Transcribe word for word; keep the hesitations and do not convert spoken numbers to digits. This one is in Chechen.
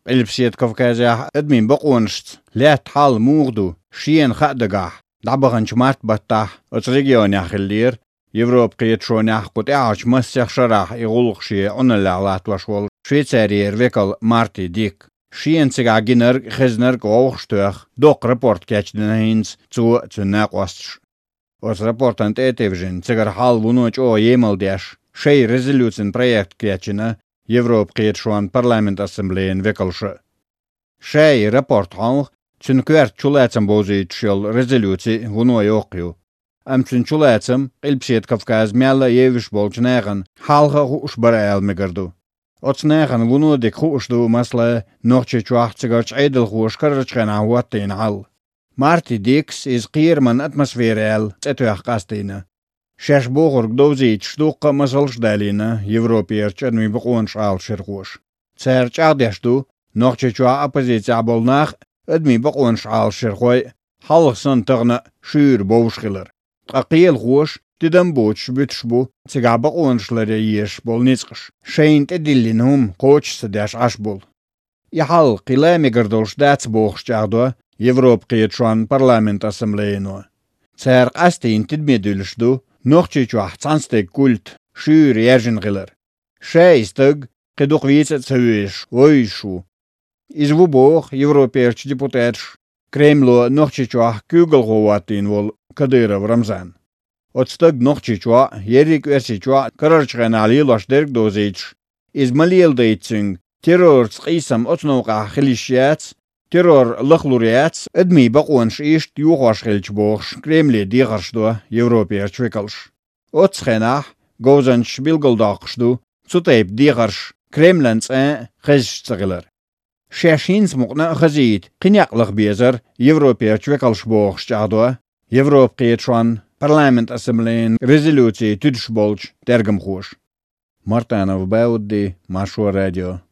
Къилбаседа Кавказехь адамийн бакъонашца лаьтта хьал муха ду, шена хаа дагахь, дӀабаханчу март баттахь оцу регионехь хиллера, Европан кхеташонехь кху тӀаьхьарчу массех шарахь и гӀуллакх шен Ӏуналлехь латтош волу Швейцарера векал Марти Дик. Шена цигахь гинарг а, хезнарг а вовшахтоьхна, доккха рапорт кечдина хӀинца цо а, цуьнан накъосташа. Оцу рапортана тӀе а тевжина, цигара хьал вуно чӀогӀа емал деш, шайн резолюцин проект кечйина Европан кхеташонан парламентан ассамблеян векалша. Ша и рапорт хьовха, цуьнан коьрта чулацам бовзуьйтуш йолу резолюци вуно йоккха ю. Амма цуьнан чулацам Къилбаседа Кавказ мелла а евзаш болчу нахана хьалха а хууш бара ала мегар ду. Оцу нахана вуно дика хууш ду, масала, Нохчийчохь цигарчу Ӏедалхоша карарчу хенахь хӀоттийна хьал. Марти Дикс иза кхераман атмосфера аьлла цӀе тоьхна къастийна. Шаьш бохург довзуьйтуш дуккха а масалш а далийна Европерчу адамийн бакъонаш Ӏалашъярхоша. Цара чӀагӀдеш ду, Нохчийчохь оппозицехь болу нах а, адамийн бакъонаш Ӏалашъярхой а, хьалха санна тахана а шуьйра бовш хилар. Ткъа кхелахоша тидам боцуш буьтуш бу цигахь бакъонаш ларъян езаш болу ницкъаш, шайна тӀедиллина хӀума кхочуш ца деш Ӏаш болу. И хьал кхин лан мегар долуш дац бохуш чӀагӀдо Европан кхеташонан парламентан ассамблеяно. Цара къастийна тидаме дуьллуш ду Нохчийчохь цхьана стеган культ шуьйра яьржина хилар. Ша и стаг кхин дукха вийца а ца везаш вовзуш ву. Иза ву боху Европерчу депутаташа Кремло Нохчийчохь куьйгалхо хӀоттийна волу Кадыров Рамзан. Оцу стага Нохчийчохь а, ерриг а Оьрсийчохь а карарчу хенахь лелош дерг а довзуьйтуш, иза ма леладайта цуьнга, террорца къийсам оцу новкъахь хила йиш яц, террор лахлур яц, адамийн бакъонаш иштта йохош хилча бохуш, Кремле дехарш до Европерчу векалша. Оццу хенахь говзанчаша билгалдоккхуш ду цу тайпа дехарш Кремлан цӀан а хезаш ца хилар. Шаьш хӀинца мукъана а хазийта кхин некъ лаха безара Европерчу векалша бохуш чӀагӀдо Европан кхеташонан парламентан ассамблеян резолюци туьдуш болчу тергамхоша. Мартанов Баудди, Маршо радио.